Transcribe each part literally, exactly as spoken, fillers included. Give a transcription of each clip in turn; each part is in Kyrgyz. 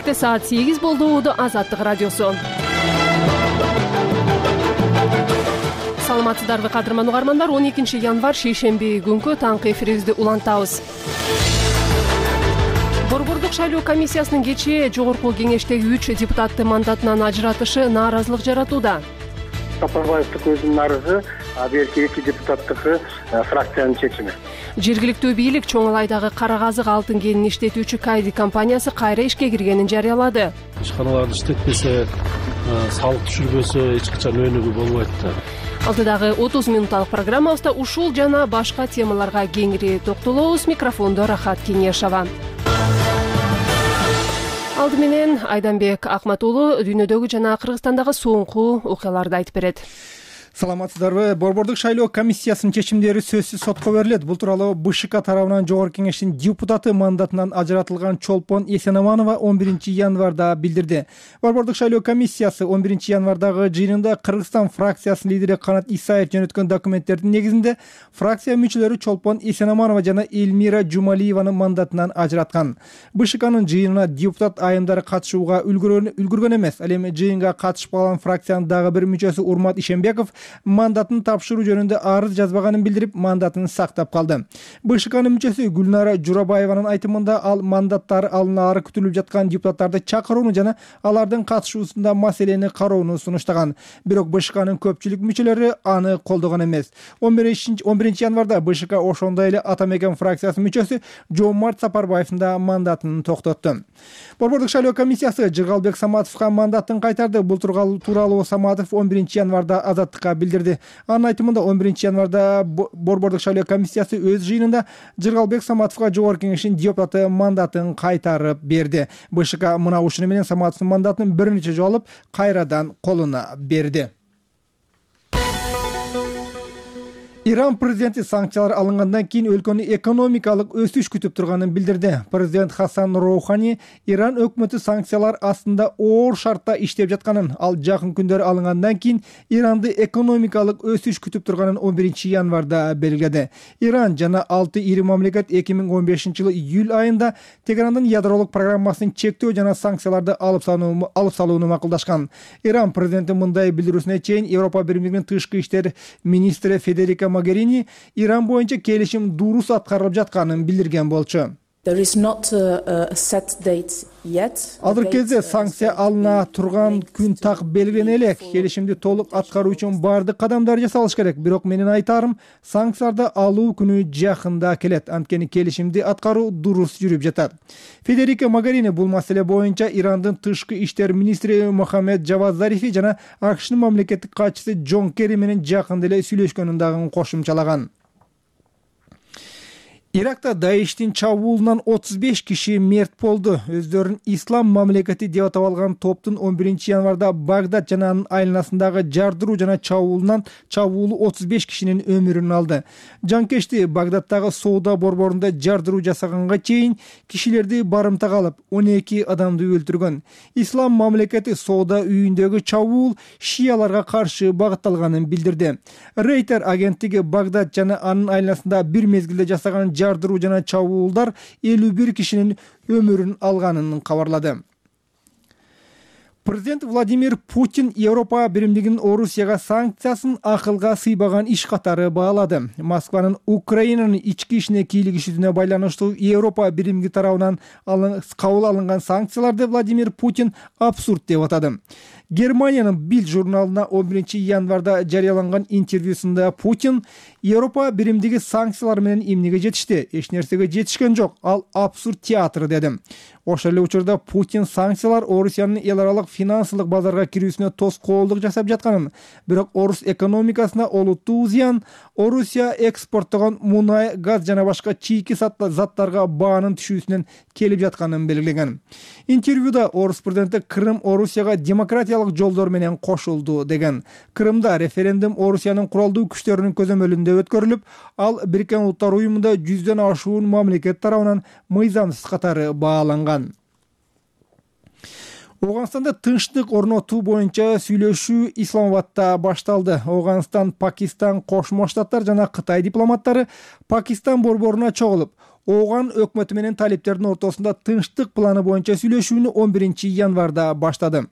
Кечте саат сегиз болду. Уду Азаттык радиосу. Саламатсыздарбы кадырман угармандар. он экинчи январь шейшемби күнкү таңкы эфирибизди улантабыз. Борбордук шайлоо комиссиясынын кечээ жогорку кеңештеги үч депутатты мандатынан ажыратышы нааразылык жаратууда. Сапарбаевдин өзүнүн арызы, а берки эки депутаттыкы фракциянын чечими. Жергиликтүү бийлик Чоң Алайдагы Кара Казык алтын кенин иштетүүчү Кайди компаниясы кайра ишке киргенин жарыялады. Ишканаларды иштетпесе, салык түшүрбөсө эч качан өнүгүү болбойт да. Алдыдагы отуз минутталык программабызда ушул жана башка темаларга кеңири токтолобуз. Микрофондо Рахат Кеңешова. Алды менен Айданбек Акматулу дүйнөдөгү жана Кыргызстандагы соңку окуяларды айтып берет. Саламатсыздарбы? Борбордук шайлоо комиссиясынын чечимдери сөзсүз сотко берилет. Бул тууралуу БШК тарабынан Жогорку кеңештин депутаты мандатынан ажыратылган Чолпон Эсенаманова он биринчи январда билдирди. Борбордук шайлоо комиссиясы он биринчи январдагы жыйынында Кыргызстан фракциясынын лидери Канат Исаев жөнөткөн документтердин негизинде фракция мүчөлөрү Чолпон Эсенаманова жана Элмира Жумалиеванын мандатынан ажыраткан. БШКнын жыйынына депутат айымдары катышууга үлгүргөн эмес. Ал эми жыйынга катышпаган фракциянын дагы бир мүчөсү Урмат Ишембеков мандатын тапшыруу жөнүндө арыз жазбаганын билдирип, мандатын сактап калды. БШКнын мүчөсү Гүлнара Журабаеванын айтымында ал мандаттары алынаары күтүлүп жаткан депутаттарды чакырууну жана алардын катышуусунда маселени кароону сунуштаган. Бирок БШКнын көпчүлүк мүчөлөрү аны колдогон эмес. он биринчи январда БШК ошондой эле Ата Мекен фракциясынын мүчөсү Жомарт Сапарбаевдин да мандатын токтотту. Борбордук шайлоо комиссиясы Жыргалбек Саматовго мандатын кайтарды. Бул тууралуу Саматов он биринчи январда Азаттыкка билдирди. Анын айтымында он биринчи январда Борбордук шайлоо комиссиясы өз жыйынында Жыргалбек Саматовго Жогорку кеңештин депутаты мандатын кайтарып берди. БШК мына ушуну менен Саматовдун мандатын бир нече жолу алып, кайрадан колуна берди. Иран президенти санкциялар алынгандан кийин өлкөнү экономикалык өсүш күтүп турганын билдирди. Президент Хасан Роухани Иран өкмөтү санкциялар астында оор шартта иштеп жатканын, ал жакын күндөр алынгандан кийин Иранды экономикалык өсүш күтүп турганын он биринчи январда белгиледи. Иран жана алты ири мамлекет эки миң он бешинчи жылы июль айында Тегерандын ядролук программасын чектөө жана санкцияларды алып салууну макулдашкан. Иран президенти мындай билдирүүсүнө чейин Европа Биримдигинин тышкы иштер министри Федерика Могерини Иран боюнча келишим дурус аткарылып жатканын билдирген болчу. Азыр кезде санкция алына турган күн так белгилене элек. Келишимди толук аткаруу үчүн бардык кадамдар жасалыш керек. Бирок менин айтарым, санкцияларды алуу күнү жакында келет. Анткени келишимди аткаруу дурус жүрүп жатат. Федерика Могерини бул маселе боюнча Ирандын тышкы иштер министри Мохаммед Джавад Зарифи жана АКШнын мамлекеттик катчысы Джон Керри менен жакында эле сүйлөшкөнүн дагы кошумчалаган. Иракта Даиштин чабуулунан отуз беш киши мерт болду. Өздөрүн ислам мамлекети деп атап алган топтун он биринчи январда Багдад жана анын айланасындагы жардыруу жана чабуулунан чабуулу отуз беш кишинин өмүрүн алды. Жанкечти Багдадтагы соода борборунда жардыруу жасаганга чейин кишилерди барымтага алып, он эки адамды өлтүргөн. Ислам мамлекети соода үйүндөгү чабуул шияларга каршы багытталганын билдирди. Рейтер агенттиги Багдад жана анын айланасында бир мезгилде жасаган жардыруу жана чабуулдар элүү бир кишинин өмүрүн алганын кабарлады. Президент Владимир Путин Европа Биримдигинин Орусияга санкциясын акылга сыйбаган иш катары баалады. Москванын Украинанын ички ишине кийлигишүүнө байланыштуу Европа Биримдиги тарабынан кабыл алынган санкцияларды Владимир Путин абсурд деп атады. Германиянын Билд журналына он биринчи январда жарыяланган интервьюсунда Путин Европа Биримдиги санкциялар менен эмнеге жетишти? Эч нерсеге жетишкен жок. Ал абсурд театры деди. Ошол эле учурда Путин санкциялар Орусиянын эл аралык финансылык базарга кирүүсүнө тоскоолдук жасап жатканын, бирок орус экономикасына олуттуу зыян, Орусия экспорттогон мунай, газ жана башка чийки заттарга баанын түшүүсүнөн келип жатканын белгилеген. Интервьюда орус президенти Крым Орусияга демократиялык жолдор менен кошулду деген. Крымда референдум Орусиянын куралдуу күчтөрүнүн көзөмөлүндө өткөрүлүп, ал Бириккен Улуттар уюмунда жүздөн ашуун мамлекет тарабынан мыйзамсыз катары бааланган. Оганстанда тынчтык орнотуу боюнча сүйлөшүү Исламабадта башталды. Оганстан, Пакистан, Кошмо Штаттар жана Кытай дипломаттары Пакистан борборуна чогулуп, Ооган өкмөтү менен талиптердин ортосунда тынчтык планы боюнча сүйлөшүүнү он биринчи январда баштады.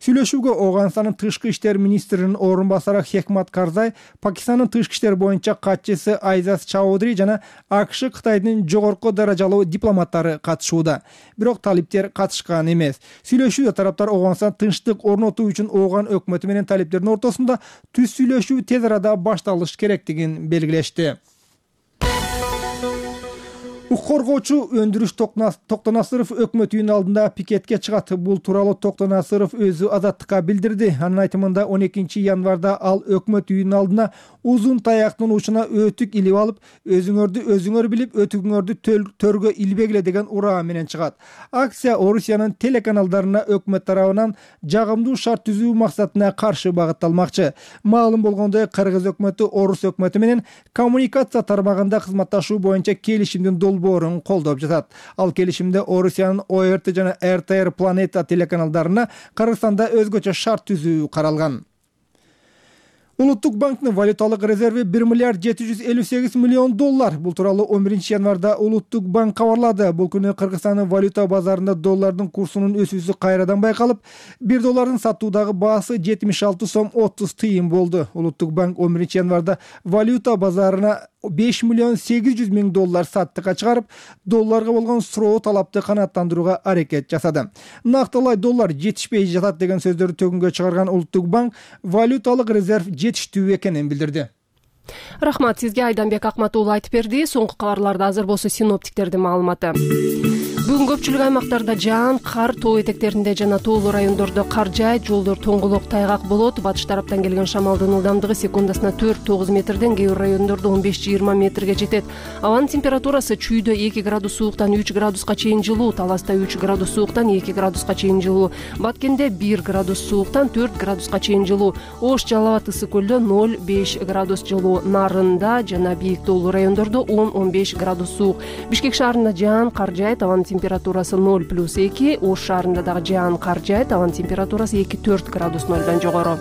Сүйлөшүүгө Ооганстандын тышкы иштер министринин орун басары Хекмат Карзай, Пакистандын тышкы иштер боюнча катчысы Айзаз Чаудри жана АКШ Кытайдын жогорку даражалуу дипломаттары катышууда. Бирок талиптер катышкан эмес. Сүйлөшүүдө тараптар Ооганстан тынчтык орнотуу үчүн Ооган өкмөтү менен талиптердин ортосунда түз сүйлөшүү тез арада башталыш керектигин белгилешти. Укук коргоочу Өндүрүш Токтонасыров өкмөт үйүнүн алдында пикетке чыгат. Бул тууралуу Токтонасыров өзү Азаттыкка билдирди. Анын айтымында он экинчи январда ал өкмөт үйүнүн алдына узун таяктын учуна өтүк илип алып, өзүңөрдү өзүңөр билип, өтүгүңөрдү төргө илбегиле деген ураа менен чыгат. Акция Орусиянын телеканалдарына өкмөт тарабынан жагымдуу шарт түзүү максатына каршы багытталмакчы. Маалым болгондой, Кыргыз өкмөтү Орус өкмөтү менен коммуникация тармагында кызматташуу боюнча келишимдин долбоорун колдоп жатат. Ал келишимде Орусиянын О Р Т жана Р Т Р Планета телеканалдарына Кыргызстанда өзгөчө шарт түзүү каралган. Улуттук банктын валюталык резерви бир миллиард жети жүз элүү сегиз миллион доллар. Бул тууралуу он биринчи январда Улуттук банк кабарлады. Бул күнү Кыргызстандын валюта базарында доллардын курсунун өсүүсү кайрадан байкалып, бир доллардын сатуудагы баасы жетимиш алты сом отуз тыйын болду. Улуттук банк он биринчи январда валюта базарына беш миллион сегиз жүз миң доллар саттыкка чыгарып, долларга болгон суроо талапты канааттандырууга аракет жасады. Нактылай доллар жетишпей жатат деген сөздөрдү төгүнгө чыгарган Улуттук банк валюталык резерв жетиштүү экенин билдирди. Рахмат сизге, Айданбек Акматуулу айтып берди. Соңку кабарларда азыр болсо синоптиктердин маалыматы. Бүгүн көпчүлүк аймактарда жаан, кар, тоо этектеринде жана тоолуу райондордо кар жаайт, жолдор тоңголок, тайгак болот. Батыш тараптан келген шамалдын ылдамдыгы секундасына төрт тогуз метрден, кээ бир райондордо он беш жыйырма метрге жетет. Абанын температурасы чүйдө эки градус сууктан үч градуска чейин жылуу, Таласта үч градус сууктан эки градуска чейин жылуу, Баткенде бир градус сууктан төрт градуска чейин жылуу, Ош, Жалал абад, Ысык көлдө ноль беш градус жылуу, Нарында жана бийик тоолуу райондордо он он беш градус суук. Бишкек шаарында жаан, кар жаайт, абанын температурасы ноль плюс эки, Ош шаарында дагы жаан, кар жаайт, абанын температурасы эки төрт градус нолдон жогору.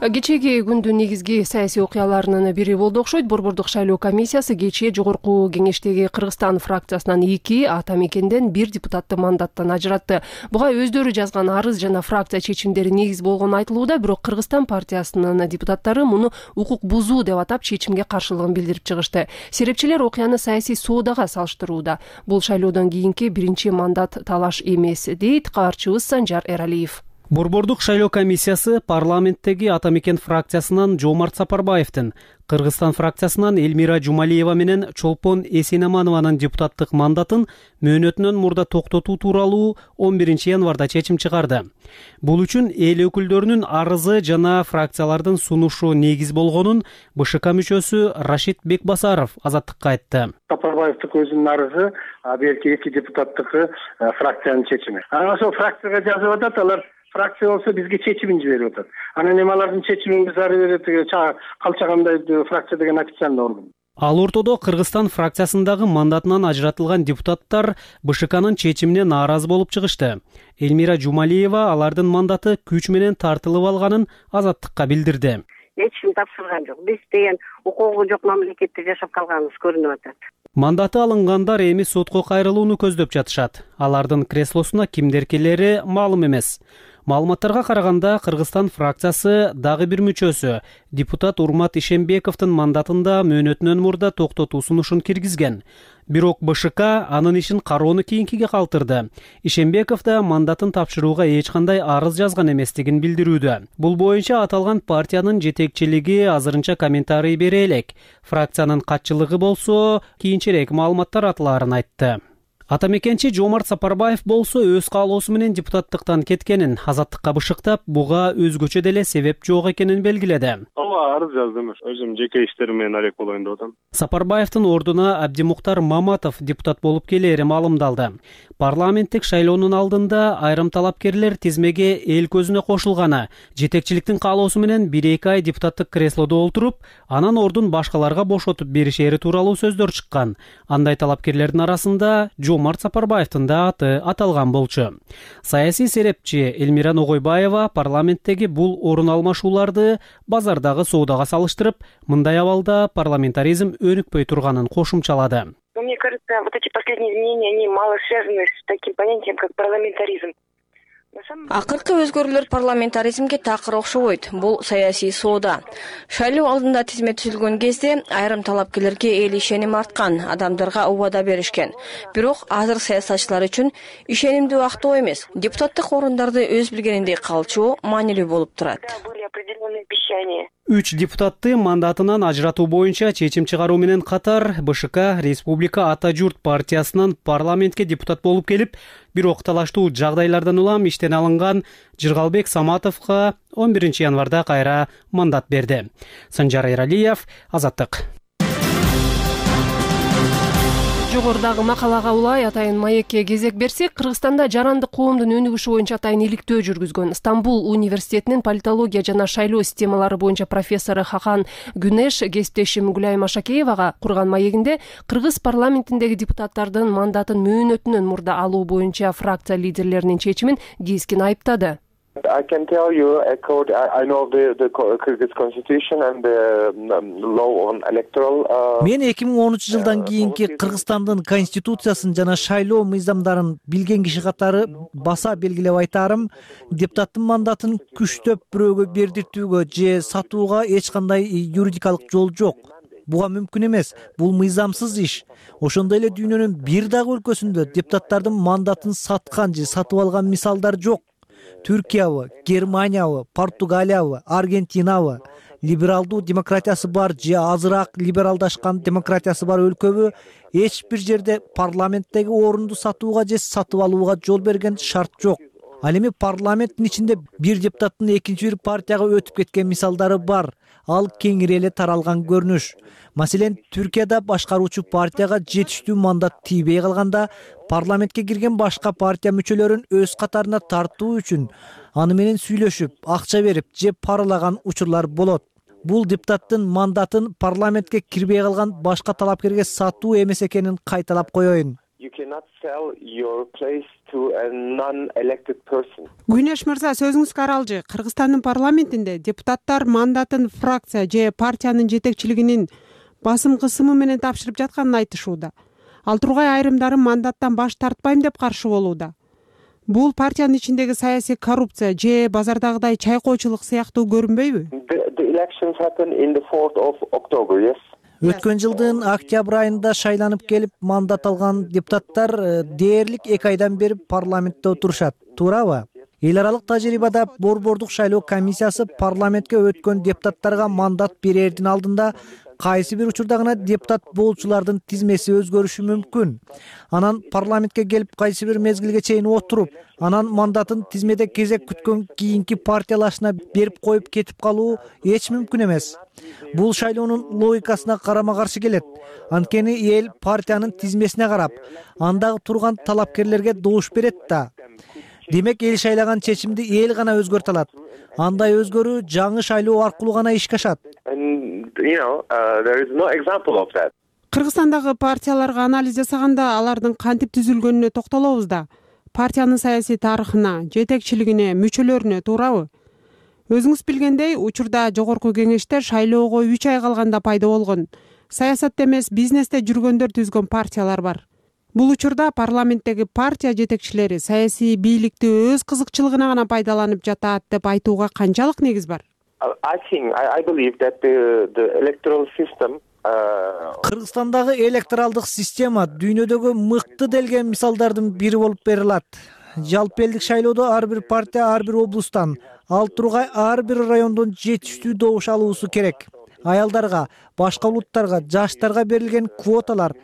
Кечеги күндүн негизги саясий окуяларынын бири болду окшойт. Борбордук шайлоо комиссиясы кечээ жогорку кеңештеги Кыргызстан фракциясынан эки, ата мекенден бир депутатты мандаттан ажыратты. Буга өздөрү жазган арыз жана фракция чечимдери негиз болгону айтылууда, бирок Кыргызстан партиясынын депутаттары муну укук бузуу деп атап чечимге каршылыгын билдирип чыгышты. Серепчилер окуяны саясий соодага салыштырууда. Бул шайлоодон кийинки биринчи мандат талаш эмес, дейт кабарчыбыз Санжар Эралиев. Борбордук шайлоо комиссиясы парламенттеги ата мекен фракциясынан Жомарт Сапарбаевдин, Кыргызстан фракциясынан Элмира Жумалиева менен Чолпон Эсенаманованын депутаттык мандатын мөөнөтүнөн мурда токтотуу тууралуу он биринчи январда чечим чыгарды. Бул үчүн эл өкүлдөрүнүн арызы жана фракциялардын сунушу негиз болгонун Б Ш К мүчөсү Рашид Бекбасаров Азаттыкка айтты. Сапарбаевдин өзүнүн арызы, берки эки депутаттыкы фракциянын чечими. Анан ошол фракцияга жазып атат, алар фракция болсо бизге чечимин жиберип атат. Анан эми алардын чечимин биз ары бери калчагандай фракция деген официальный орган. Ал ортодо Кыргызстан фракциясындагы мандатынан ажыратылган депутаттар Б Ш Кнын чечимине нааразы болуп чыгышты. Элмира Жумалиева алардын мандаты күч менен тартылып алганын Азаттыкка билдирди. Эч ким тапшырган жок. Биз деген укугу жок мамлекетте жашап калганыбыз көрүнүп атат. Мандаты алынгандар эми сотко кайрылууну көздөп жатышат. Алардын креслосуна кимдеркилери маалым эмес. Маалыматтарга караганда Кыргызстан фракциясы дагы бир мүчөсү депутат Урмат Ишембековдун мандатында мөөнөтүнөн мурда токтотуу сунушун киргизген. Бирок Б Ш К анын ишин кароону кийинкиге калтырды. Ишембеков да мандатын тапшырууга эч кандай арыз жазган эместигин билдирүүдө. Бул боюнча аталган партиянын жетекчилиги азырынча комментарий бере элек. Фракциянын катчылыгы болсо кийинчерээк маалыматтар атылаарын айтты. Ата мекенчи Жомарт Сапарбаев болсо өз каалоосу менен депутаттыктан кеткенин, Азаттыкка бышыктап, буга өзгөчө деле себеп жок экенин белгиледи. Ооба, арыз жаздым. Өзүм жеке иштерим менен алек болоюн деп атам. Сапарбаевдин ордуна Абдимуктар Маматов депутат болуп келери маалымдалды. Парламенттик шайлоонун алдында айрым талапкерлер тизмеге эл көзүнө кошулганы, жетекчиликтин каалоосу менен бир эки ай депутаттык креслодо олтуруп, анан ордун башкаларга бошотуп беришери тууралуу сөздөр чыккан. Андай талапкерлердин арасында Жомарт Жомарт Сапарбаевдин да аты аталган болчу. Саясий серепчи Элмира Ногойбаева парламенттеги бул орун алмашууларды базардагы соодага салыштырып, мындай абалда парламентаризм өнүкпөй турганын кошумчалады. Мне кажется, вот эти последние изменения, они мало связаны с таким понятием, как парламентаризм. Акыркы өзгөрүүлөр парламентаризмге такыр окшобойт. Бул саясий соода. Шайлоо алдында тизме түзүлгөн кезде айрым талапкерлерге эл ишеним арткан, адамдарга убада беришкен. Бирок азыр саясатчылар үчүн ишенимдүү актоо эмес, депутаттык орундарды өз билгениндей калчуу маанилүү болуп турат. Үч депутатты мандатынан ажыратуу боюнча чечим чыгаруу менен катар БШК Республика Ата журт партиясынан парламентке депутат болуп келип, бирок талаштуу жагдайлардан улам иштен алынган Жыргалбек Саматовго он биринчи январда кайра мандат берди. Санжар Эралиев, Азаттык. Жогорудагы макалага улай атайын маекке кезек берсек, Кыргызстанда жарандык коомдун өнүгүшү боюнча атайын иликтөө жүргүзгөн Стамбул университетинин политология жана шайлоо системалары боюнча профессору Хахан Гүнеш кесиптешим Гүлайым Ашакеевага курган маегинде кыргыз парламентиндеги депутаттардын мандатын мөөнөтүнөн мурда алуу боюнча фракция лидерлеринин чечимин кескин айыптады. I can tell you, according, I know the, the Kyrgyz constitution and the law on electoral. Мен эки миң онунчу жылдан кийинки Кыргызстандын конституциясын жана шайлоо мыйзамдарын билген киши катары баса белгилеп айтарым, депутаттын мандатын күчтөп бирөөгө бердиртүүгө же сатууга эч кандай юридикалык жол жок. Буга мүмкүн эмес. Бул мыйзамсыз иш. Ошондой эле дүйнөнүн бир дагы өлкөсүндө депутаттардын мандатын саткан же сатып алган мисалдар жок. Түркиябы, Германиябы, Португалиябы, Аргентинабы, либералдуу демократиясы бар же азыраак либералдашкан демократиясы бар өлкөбү эч бир жерде парламенттеги орунду сатууга же сатып алууга жол берген шарт жок. Ал эми парламенттин ичинде бир депутаттын экинчи бир партияга өтүп кеткен мисалдары бар. Ал кеңири эле таралган көрүнүш. Маселен, Түркияда башкаруучу партияга жетиштүү мандат тийбей калганда, парламентке кирген башка партия мүчөлөрүн өз катарына тартуу үчүн аны менен сүйлөшүп, акча берип же паралаган учурлар болот. Бул депутаттын мандатын парламентке кирбей калган башка талапкерге сатуу эмес экенин кайталап коеюн. Гүнеш мырза, сөзүңүз каралжы. Кыргызстандын парламентинде депутаттар мандатын фракция же партиянын жетекчилигинин басым кысымы менен тапшырып жатканын айтышууда. Ал тургай айрымдары мандаттан баш тартпайм деп каршы болууда. Бул партиянын ичиндеги саясий коррупция же базардагыдай чайкоочулук сыяктуу көрүнбөйбү? Өткөн жылдын октябрь айында шайланып келип мандат алган депутаттар дээрлик эки айдан бери парламентте отурушат, туурабы? Эл аралык тажрыйбада борбордук шайлоо комиссиясы парламентке өткөн депутаттарга мандат берердин алдында кайсы бир учурда гана депутат болчулардын тизмеси өзгөрүшү мүмкүн. Анан парламентке келип кайсы бир мезгилге чейин отуруп, анан мандатын тизмеде кезек күткөн кийинки партиялашына берип коюп кетип калуу эч мүмкүн эмес. Бул шайлоонун логикасына карама каршы келет. Анткени эл партиянын тизмесине карап, андагы турган талапкерлерге добуш берет да. Демек, эл шайлаган чечимди эл гана өзгөртө алат. Андай өзгөрүү жаңы шайлоо аркылуу гана ишке ашат. Кыргызстандагы партияларга анализ жасаганда алардын кантип түзүлгөнүнө токтолобуз да. Партиянын саясий тарыхына, жетекчилигине, мүчөлөрүнө, туурабы? Өзүңүз билгендей, учурда жогорку кеңеште шайлоого үч ай калганда пайда болгон, саясатта эмес бизнесте жүргөндөр түзгөн партиялар бар. Бул учурда парламенттеги партия жетекчилери саясий бийликти өз кызыкчылыгына гана пайдаланып жатат деп айтууга канчалык негиз бар? Кыргызстандагы электоралдык система дүйнөдөгү мыкты делген мисалдардын бири болуп берилат. Жалпы элдик шайлоодо ар бир партия ар бир облустан, ал тургай ар бир райондон жетиштүү добуш алуусу керек. Аялдарга, башка улуттарга, жаштарга берилген квоталар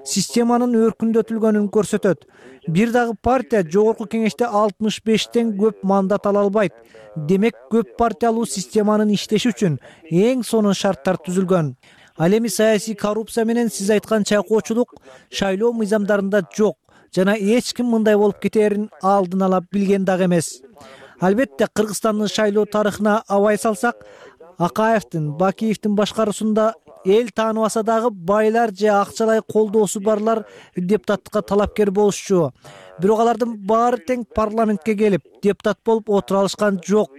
системанын өркүндөтүлгөнүн көрсөтөт. Бир дагы партия жогорку кеңеште алтымыш бештен көп мандат ала албайт. Демек, көп партиялуу системанын иштеши үчүн эң сонун шарттар түзүлгөн. Ал эми саясий коррупция менен сиз айткан чайкоочулук шайлоо мыйзамдарында жок жана эч ким мындай болуп кетерин алдын ала билген дагы эмес. Албетте, Кыргызстандын шайлоо тарыхына абай салсак, Акаевдин, Бакиевдин башкаруусунда эл тааныбаса дагы байлар же акчалай колдоосу барлар депутаттыкка талапкер болушчу. Бирок алардын баары тең парламентке келип депутат болуп отура алышкан жок.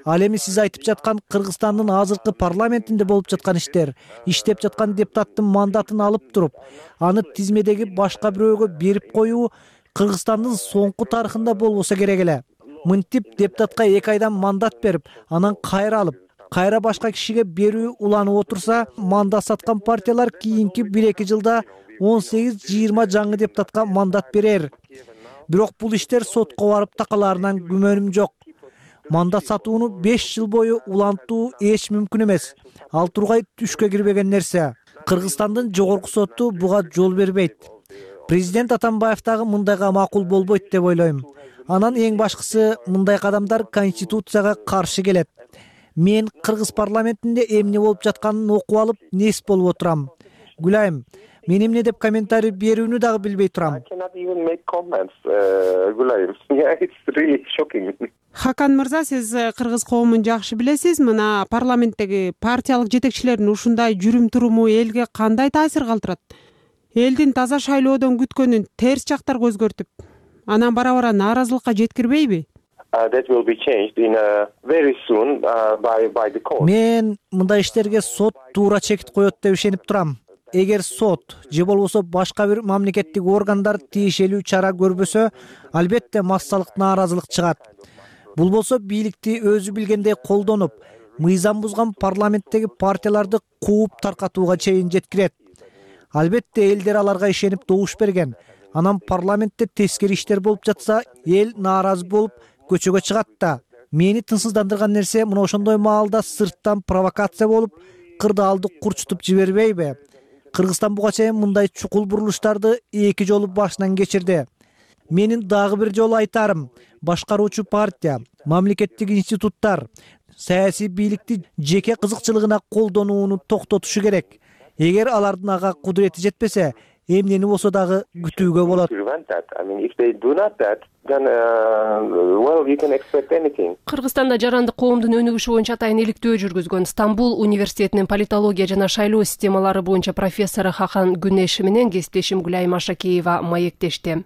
Ал эми сиз айтып жаткан Кыргызстандын азыркы парламентинде болуп жаткан иштер, иштеп жаткан депутаттын мандатын алып туруп, аны тизмедеги башка бирөөгө берип коюу Кыргызстандын соңку тарыхында болбосо керек эле. Мынтип депутатка эки айдан мандат берип, анан кайра алып, кайра башка кишиге берүү уланып отурса, мандат саткан партиялар кийинки бир эки жылда он сегиз жыйырма жаңы депутатка мандат берер. Бирок бул иштер сотко барып такалаарынан күмөнүм жок. Мандат сатууну беш жыл бою улантуу эч мүмкүн эмес. Ал тургай түшкө кирбеген нерсе. Кыргызстандын жогорку соту буга жол бербейт. Президент Атамбаев дагы мындайга макул болбойт деп ойлойм. Анан эң башкысы, мындай кадамдар конституцияга каршы келет. Мен Кыргыз парламентинде эмне болуп жатканын окуп алып, нес болуп отурам. Гүлайым, мен эмне деп комментарий берүүнү дагы билбей турам. Хакан мырза, сиз кыргыз коомун жакшы билесиз. Мына парламенттеги партиялык жетекчилердин ушундай жүрүм туруму элге кандай таасир калтырат? Элдин таза шайлоодон күткөнүн терс жактарга өзгөртүп, анан бара-бара нааразылыкка жеткирбейби? Мен мындай иштерге сот туура чекит коет деп ишенип турам. Эгер сот же болбосо башка бир мамлекеттик органдар тиешелүү чара көрбөсө, албетте массалык нааразылык чыгат. Бул болсо бийликти өзү билгендей колдонуп, мыйзам бузган парламенттеги партияларды кууп таркатууга чейин жеткирет. Албетте элдер аларга ишенип добуш берген. Анан парламентте тескери иштер болуп жатса, эл нааразы болуп көчөгө чыгат да. Мени тынчсыздандырган нерсе мына ошондой маалда сырттан провокация болуп, кырдаалды курчутуп жибербейби? Кыргызстан буга чейин мындай чукул бурулуштарды эки жолу башынан кечирди. Менин дагы бир жолу айтарым, башкаруучу партия, мамлекеттик институттар саясий бийликти жеке кызыкчылыгына колдонууну токтотушу керек. Эгер алардын ага кудурети жетпесе, эмнени болсо дагы күтүүгө болот. Кыргызстанда жарандык коомдун өнүгүшү боюнча атайын иликтөө жүргүзгөн Стамбул университетинин политология жана шайлоо системалары боюнча профессору Хакан Күнеш менен кесиптешим Гүлайым Ашакеева маектешти.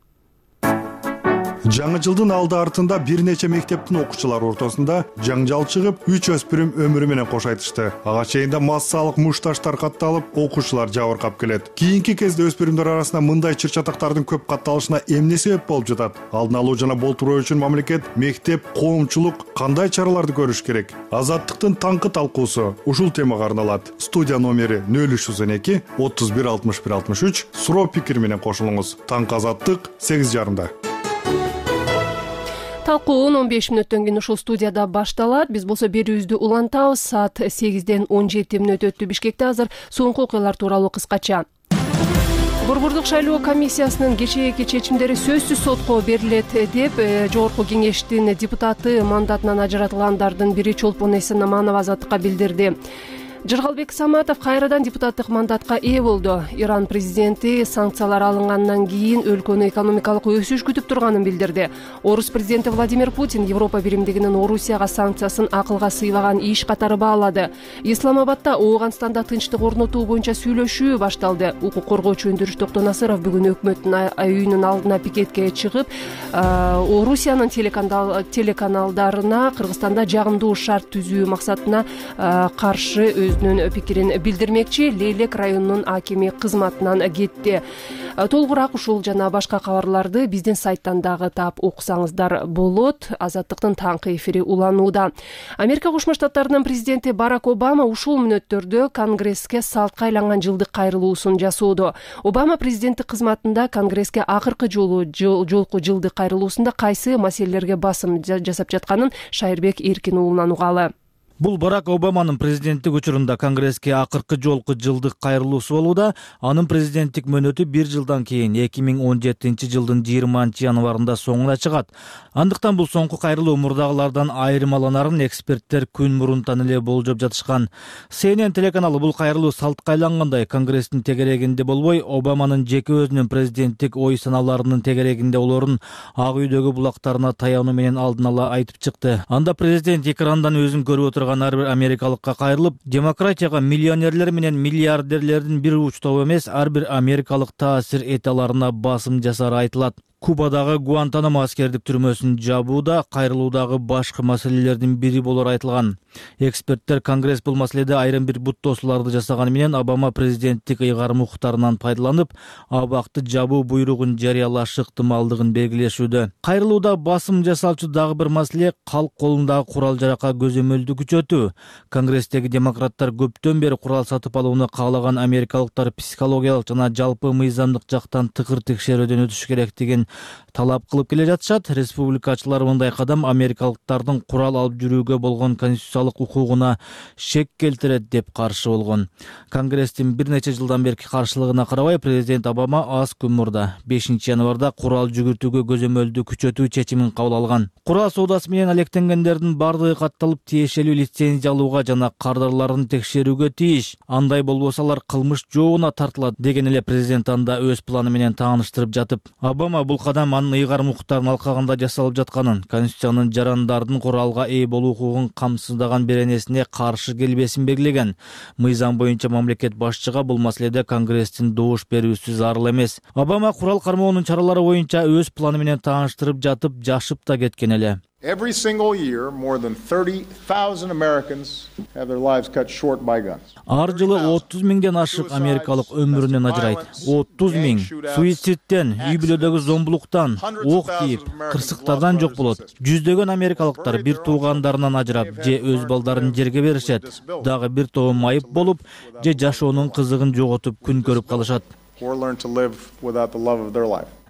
Жаңы жылдын алды артында бир нече мектептин окуучулары ортосунда жаңжал чыгып, үч өспүрүм өмүрү менен кош айтышты. Ага чейинде массалык мушташтар катталып, окуучулар жабыркап келет. Кийинки кезде өспүрүмдөр арасында мындай чыр-чатактардын көп катталышына эмне себеп болуп жатат? Алдын алуу жана болтуруу үчүн мамлекет, мектеп, коомчулук кандай чараларды көрүш керек? Азаттыктын таңкы талкуусу ушул темага арналат. Студия номери нөл үч жүз он эки отуз бир алтымыш бир алтымыш үч суроо пикир менен кошулуңуз. Таңкы Азаттык сегиз жарымда. Талкуу он беш мүнөттөн кийин ушул студияда башталат. Биз болсо берүүбүздү улантабыз. Саат сегизден он жети мүнөт өттү. Бишкекте азыр соңку окуялар тууралуу кыскача. Борбордук шайлоо комиссиясынын кечээки чечимдери сөзсүз сотко берилет деп жогорку кеңештин депутаты мандатынан ажыратылгандардын бири Чолпон Эсенаманова Азаттыкка билдирди. Жыргалбек Саматов кайрадан депутаттык мандатка ээ болду. Иран президенти санкциялар алынгандан кийин өлкөнү экономикалык өсүш күтүп турганын билдирди. Орус президенти Владимир Путин Европа биримдигинин Орусияга санкциясын акылга сыйбаган иш катары баалады. Исламабадда Ооганстанда тынчтык орнотуу боюнча сүйлөшүү башталды. Укук коргоочу Өндүрүш Токтонасыров бүгүн өкмөттүн үйүнүн алдына пикетке чыгып, Орусиянын телеканалдарына Кыргызстанда жагымдуу шарт түзүү максатына каршы өзүнүн пикирин билдирмекчи. Лейлек районунун акими кызматынан кетти. Толугураак ушул жана башка кабарларды биздин сайттан дагы таап окусаңыздар болот. Азаттыктын таңкы эфири уланууда. Америка Кошмо Штаттарынын президенти Барак Обама ушул мүнөттөрдө Конгресске салтка айланган жылдык кайрылуусун жасоодо. Обама президенттик кызматында Конгресске акыркы жолу жолку жылдык кайрылуусунда кайсы маселелерге басым жасап жатканын Шайырбек Эркин уулунан угалы. Бул Барак Обаманын президенттик учурунда Конгресске акыркы жолку жылдык кайрылуусу болууда. Анын президенттик мөөнөтү бир жылдан кийин эки миң он жетинчи жылдын жыйырманчы январында соңуна чыгат. Андыктан бул соңку кайрылуу мурдагылардан айырмаланарын эксперттер күн мурунтан эле болжоп жатышкан. Си Эн Эн телеканалы бул кайрылуу салтка айлангандай Конгресстин тегерегинде болбой, Обаманын жеке өзүнүн президенттик ой санааларынын тегерегинде олорун Ак үйдөгү булактарына таянуу менен алдын ала айтып чыкты. Анда президент экрандан өзүн көрүп отурган жашаган ар бир америкалыкка кайрылып, демократияга миллионерлер менен миллиардерлердин бир учтоо эмес, ар бир америкалык таасир эте аларына басым жасары айтылат. Кубадагы Гуантанамо аскердик түрмөсүн жабуу да кайрылуудагы башкы маселелердин бири болор айтылган. Эксперттер Конгресс бул маселеде айрым бир буттоосуларды жасаганы менен Обама президенттик ыйгарым укуктарынан пайдаланып, абакты жабуу буйругун жарыялаш ыктымалдыгын белгилешүүдө. Кайрылууда басым жасалчу дагы бир маселе калк колундагы курал-жаракка көзөмөлдү күчөтүү. Конгресстеги демократтар көптөн бери курал сатып алууну каалаган америкалыктар психологиялык жана жалпы мыйзамдык жактан тыкыр текшерүүдөн өтүш керек деген талап кылып келе жатышат. Республикачылар мындай кадам америкалыктардын курал алып жүрүүгө болгон конституциялык укугуна шек келтирет деп каршы болгон. Конгресстин бир нече жылдан берки каршылыгына карабай, президент Обама аз күн мурда бешинчи январда курал жүгүртүүгө көзөмөлдү күчөтүү чечимин кабыл алган. Курал соодасы менен алектенгендердин бардыгы катталып, тиешелүү лицензия алууга жана кардарларын текшерүүгө тийиш. Андай болбосо алар кылмыш жообуна тартылат деген эле президент анда өз планы менен тааныштырып жатып, Обама бул кадам анын ыйгарым укуктарын алкагында жасалып жатканын, конституциянын жарандардын куралга ээ болуу укугун камсыздаган беренесине каршы келбесин белгилеген. Мыйзам боюнча мамлекет башчыга бул маселеде Конгресстин добуш берүүсү зарыл эмес. Обама курал кармоонун чаралары боюнча өз планы менен тааныштырып жатып, жашып да кеткен эле. Every single year, more than thirty thousand Americans have their lives cut short by guns. Ар жылы отуз миңден ашык америкалык өмүрүнөн ажырайт. отуз миң суицидтен, үй бүлөдөгү зомбулуктан, ок тийип, кырсыктардан жок болот. Жүздөгөн америкалыктар бир туугандарынан ажырап, же өз балдарын жерге беришет. Дагы бир тобу майып болуп, же жашоонун кызыгын жоготуп күн көрүп калышат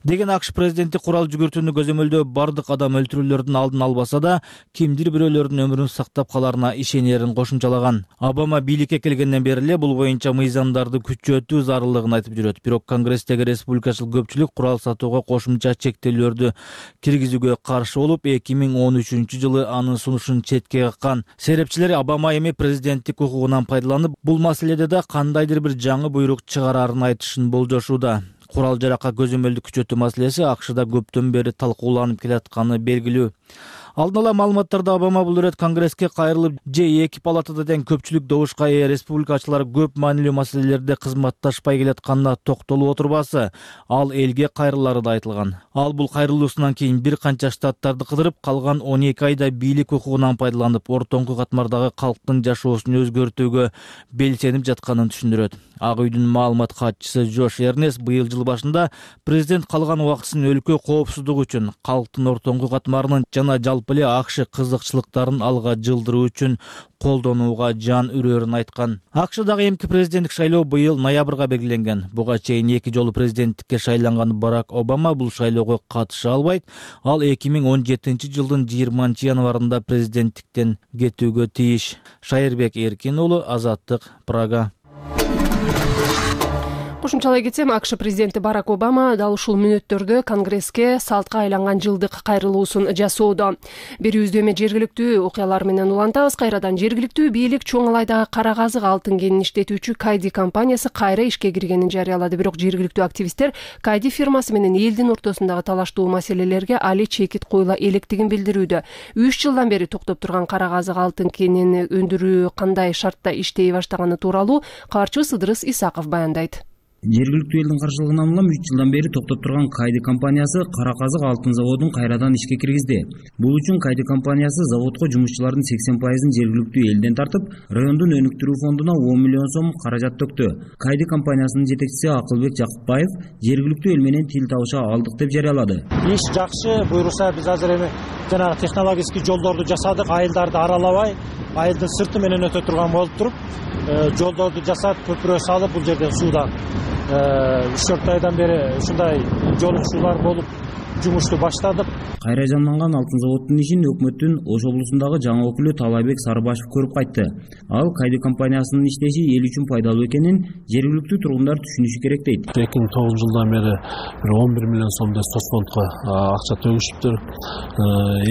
деген АКШ президенти курал жүгүртүүнү көзөмөлдөө бардык адам өлтүрүүлөрдүн алдын албаса да, кимдир бирөөлөрдүн өмүрүн сактап каларына ишенерин кошумчалаган. Обама бийликке келгенден бери эле бул боюнча мыйзамдарды күчөтүү зарылдыгын айтып жүрөт. Бирок Конгресстеги республикачыл көпчүлүк курал сатууга кошумча чектөөлөрдү киргизүүгө каршы болуп, эки миң он үчүнчү жылы анын сунушун четке каккан. Серепчилер Обама эми президенттик укугунан пайдаланып, бул маселеде да кандайдыр бир жаңы буйрук чыгарарын айтышын болжошууда. Курал-жаракка көзөмөлдү күчөтүү маселеси АКШда көптөн бери талкууланып келатканы белгилүү. Алдын ала маалыматтарда Обама бул ирет Конгресске кайрылып, же эки палатада тең көпчүлүк добушка ээ республикачылар көп маанилүү маселелерде кызматташпай келатканына токтолуп отурбасы, ал элге кайрылары да айтылган. Ал бул кайрылуусунан кийин бир канча штаттарды кыдырып, калган он эки айда бийлик укугунан пайдаланып, ортоңку катмардагы калктын жашоосун өзгөртүүгө белсенип жатканын түшүндүрөт. Ак үйдүн маалымат катчысы Джош Эрнест быйыл жыл башында президент калган убактысын өлкө коопсуздугу үчүн, калктын ортоңку катмарынын жана жалпы эле АКШ кызыкчылыктарын алга жылдыруу үчүн колдонууга жан үрөрүн айткан. АКШдагы эмки президенттик шайлоо быйыл ноябрга белгиленген. Буга чейин эки жолу президенттикке шайланган Барак Обама бул шайлоого катыша албайт. Ал эки миң он жетинчи жылдын жыйырманчы январында президенттиктен кетүүгө тийиш. Шайырбек Эркин уулу, Азаттык, Прага. Кошумчалай кетсем, АКШ президенти Барак Обама дал ушул мүнөттөрдө Конгресске салтка айланган жылдык кайрылуусун жасоодо. Берүүбүздө эми жергиликтүү окуялар менен улантабыз. Кайрадан жергиликтүү бийлик чоң алайдагы кара казык алтын кенин иштетүүчү Кайди компаниясы кайра ишке киргенин жарыялады. Бирок жергиликтүү активисттер Кайди фирмасы менен элдин ортосундагы талаштуу маселелерге али чекит коюла электигин билдирүүдө. үч жылдан бери токтоп турган кара казык алтын кенин өндүрүү кандай шартта иштей баштаганы тууралуу кабарчыбыз Ыдырыс Исаков баяндайт. Жергиликтүү элдин каршылыгынан улам үч жылдан бери токтоп турган Кайди компаниясы кара казык алтын заводун кайрадан ишке киргизди. Бул үчүн Кайди компаниясы заводко жумушчулардын сексен пайызын жергиликтүү элден тартып, райондун өнүктүрүү фондуна он миллион сом каражат төктү. Кайди компаниясынын жетекчиси Акылбек Жакыпбаев жергиликтүү эл менен тил табыша алдык деп жарыялады. Иш жакшы, буйруса биз азыр эми жанагы технологический жолдорду жасадык, айылдарды аралабай, айылдын сырты менен өтө турган болуп туруп, жолдорду жасап, көпүрө салып, бул жерден суудан үч төрт айдан бери ушундай жолукчулар болуп жумушту баштадык. Кайра жанданган алтын заводдун ишин өкмөттүн Ош облусундагы жаңы өкүлү Талайбек Сарыбашев көрүп кайтты. Ал Кайди компаниясынын иштеши эл үчүн пайдалуу экенин жергиликтүү тургундар түшүнүшү керек дейт. эки миң тогузунчу жылдан бери бир он бир миллион сомдой соцфондко акча төгүшүптүр.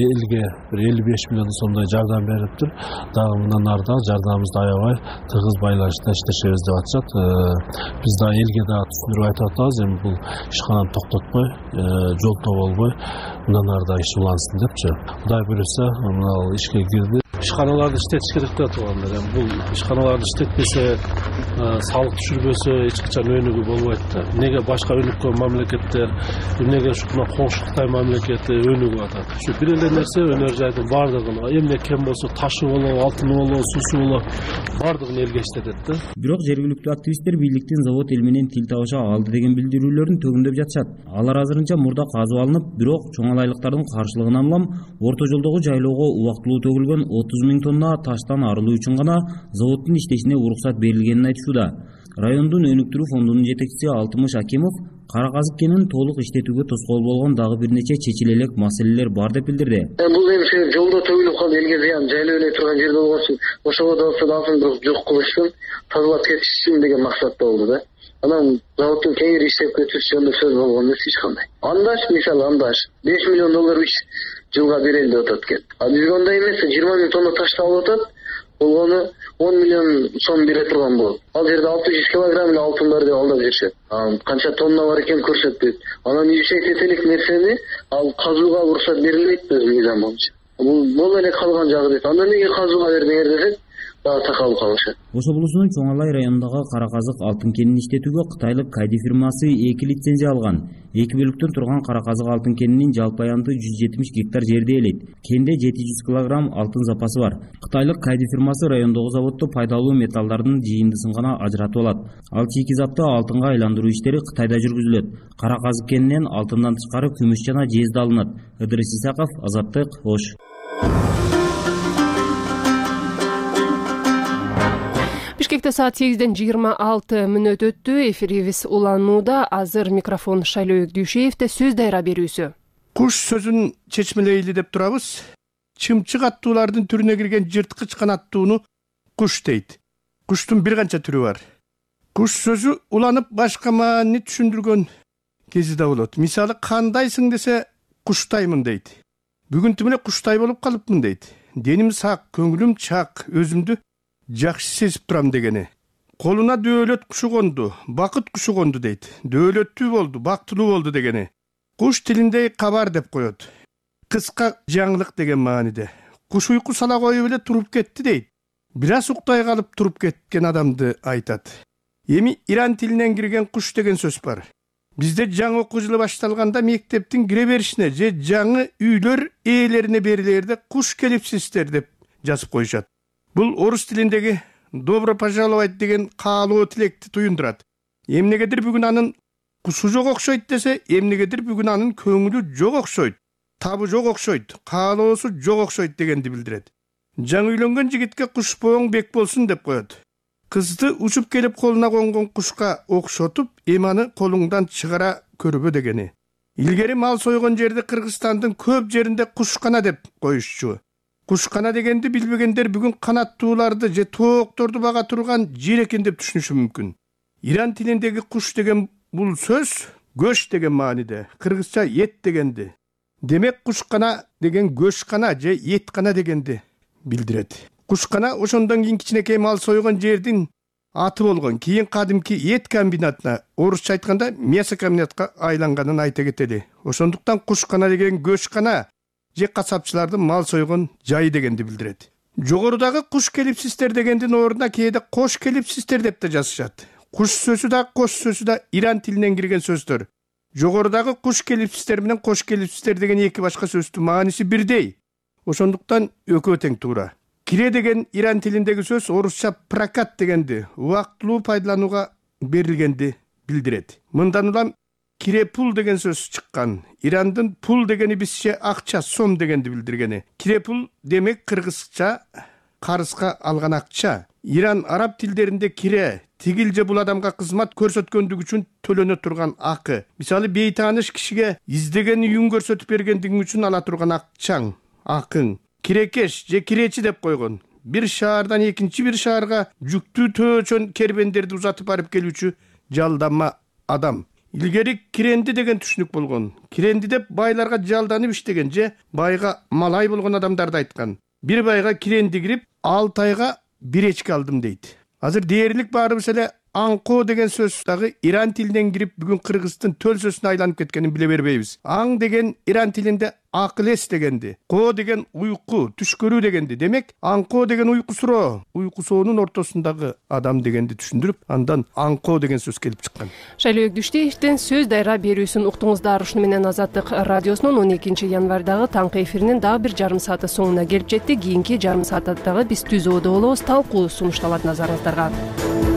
Элге бир элүү беш миллион сомдой жардам бериптир. Дагы мындан ары да жардамыбызды аябай тыгыз байланышта иштешебиз деп атышат. Биз да элге да түшүндүрүп айтып атабыз, эми бул ишкананы токтотпой, жолтоо болбой, мындан ары да иш улансын депчи. Кудай буйруса, мына ишке кирди. ишканаларды иштетиш керек деп атгандар. Эми бул ишканаларды иштетпесе, салык түшүрбөсө эч качан өнүгүү болбойт да. Эмнеге башка өнүккөн мамлекеттер, эмнеге ушуна коңшу Кытай мамлекети өнүгүп атат? Ушу бир эле нерсе өнөр жайдын бардыгын, эмне кем болсо ташы болобу, алтыны болобу, суусу болобу, бардыгын элге иштетет да. Бирок жергиликтүү активисттер бийликтин завод эл менен тил табыша алды деген билдирүүлөрүн төгүндөп жатышат. Алар азырынча мурда казып алынып, бирок чоңалайлыктардын каршылыгынан улам орто жолдогу жайлоого убактылуу төгүлгөн отуз миң тонна таштан арылуу үчүн гана заводдун иштешине уруксат берилгенин айтышууда. Райондун өнүктүрүү фондунун жетекчиси Алтымыш Акимов кара казык кенин толук иштетүүгө тоскоол болгон дагы бир нече чечиле элек маселелер бар деп билдирди. Бул эми жолдо төгүлүп калды, элге зыян, жайлоо эле турган жерде болгон үчүн ошого да дасын жок кылыш үчүн, тазалап кетиш үчүн деген максатта болду да. Анан заводдун кеңири иштеп кетиш жөнүндө сөз болгон эмес эч кандай. Андаш, мисалы андаш беш миллион доллар үч жылга берели деп атат экен. А бизге андай эмес, жыйырма миң тонна ташты алып атат. Болгону он миллион сом бере турган болот. Ал жерде алты жүз килограмм эле алтын бар деп алдап жүрүшөт. Канча тонна бар экен көрсөтпөйт. Анан изучать элек нерсени ал казууга уруксат берилбейт өзү мыйзам боюнча. Бул боло эле калган жагы дейт. Андан эмнеге казууга бердиңер десек, дагы такалып калышат. Ош облусунун Чоңалай районундагы кара казык алтын кенин иштетүүгө кытайлык Кайди фирмасы эки лицензия алган. Эки бөлүктөн турган кара казык алтын кенинин жалпы аянты жүз жетимиш гектар жерди ээлейт. Кенде жети жүз килограмм алтын запасы бар. Кытайлык Кайди фирмасы райондогу заводдо пайдалуу металлдардын жыйындысын гана ажыратып алат. Ал чийки-затты алтынга айландыруу иштери Кытайда жүргүзүлөт. Кара казык кенинен алтындан тышкары күмүш жана жез да алынат. Ыдырыс Исаков, Азаттык, Ош. Бишкекте саат сегизден жыйырма алты мүнөт өттү. Эфирибиз уланууда. Азыр микрофон Шайлоо Дүйшеевде. Сөз дайра берүүсү. Куш сөзүн чечмелейли деп турабыз. Чымчык аттуулардын түрүнө кирген жырткыч канаттууну куш дейт. Куштун бир канча түрү бар. Куш сөзү уланып башка маани түшүндүргөн кези да болот. Мисалы, кандайсың десе куштаймын дейт. Бүгүн эле куштай болуп калыпмын дейт. Деним сак, көңүлүм чак, өзүмдү жакшы сезип турам дегени. Колуна дөөлөт кушу конду, бакыт кушу конду дейт. Дөөлөттүү болду, бактылуу болду дегени. Куш тилинде кабар деп коет. Кыска жаңылык деген мааниде. Куш уйку сала коюп эле туруп кетти дейт. Бир аз уктай калып туруп кеткен адамды айтат. Эми иран тилинен кирген куш деген сөз бар. Бизде жаңы окуу жылы башталганда мектептин кире беришине же жаңы үйлөр ээлерине берилерде куш келипсиздер деп жазып коюшат. Бул орус тилиндеги «добро пожаловать» деген каалоо тилекти туюндурат. Эмнегедир бүгүн анын кушу жок окшойт десе, эмнегедир бүгүн анын көңүлү жок окшойт, табы жок окшойт, каалоосу жок окшойт дегенди билдирет. Жаңы үйлөнгөн жигитке куш бооң бек болсун деп коет. Кызды учуп келип колуна конгон кушка окшотуп, эманы колуңдан чыгара көрбө дегени. Илгери мал сойгон жерди Кыргызстандын көп жеринде кушкана деп коюшчу. Кушкана дегенди билбегендер бүгүн канаттууларды же тоокторду бага турган жер экен деп түшүнүшү мүмкүн. Иран тилиндеги куш деген бул сөз көш деген мааниде, кыргызча эт дегенди. Демек кушкана деген көшкана же эткана дегенди билдирет. Кушкана ошондон кийин кичинекей мал сойгон жердин аты болгон. Кийин кадимки эт комбинатына, орусча айтканда мясокомбинатка айланганын айта кетели. Ошондуктан кушкана деген көшкана же касапчылардын мал сойгон жайы дегенди билдирет. Жогорудагы куш келипсиздер дегендин ордуна кээде кош келипсиздер деп да жазышат. Куш сөзү да, кош сөзү да иран тилинен кирген сөздөр. Жогорудагы куш келипсиздер менен кош келипсиздер деген эки башка сөздүн мааниси бирдей. Ошондуктан экөө тең туура. Кире деген иран тилиндеги сөз орусча прокат дегенди, убактылуу пайдаланууга берилгенди билдирет. Мындан улам кире пул деген сөз чыккан. Ирандын пул дегени бизче акча, сом дегенди билдиргени. Кире пул демек кыргызча карызга алган акча. Иран араб тилдеринде кире тигил же бул адамга кызмат көрсөткөндүгү үчүн төлөнө турган акы. Мисалы, бейтааныш кишиге издеген үйүн көрсөтүп бергендиги үчүн ала турган акчаң, акың. Кирекеш же киречи деп койгон. Бир шаардан экинчи бир шаарга жүктүү төөчөн кербендерди узатып барып келүүчү жалданма адам. Илгери киренди деген түшүнүк болгон. Киренди деп байларга жалданып иштеген же байга малай болгон адамдарды айткан. Бир байга киренди кирип, алты айга бир эчки алдым дейт. Азыр дээрлик баарыбыз эле аңкоо деген сөз дагы иран тилинен кирип бүгүн кыргыздын төл сөзүнө айланып кеткенин биле бербейбиз. Аң деген иран тилинде акыл эс дегенди, коо деген уйку, түш көрүү дегенди. Демек, аңкоо деген уйкусуроо, уйкусоонун ортосундагы адам дегенди түшүндүрүп, андан аңкоо деген сөз келип чыккан. Шайлоо Өкдүштиевдин сөз дайра берүүсүн уктуңуздар. Ушуну менен Азаттык радиосунун он экинчи январдагы таңкы эфиринин дагы бир жарым сааты соңуна келип жетти. Кийинки жарым саатта дагы биз түз ободо болобуз. Талкуу сунушталат назарыңыздарга.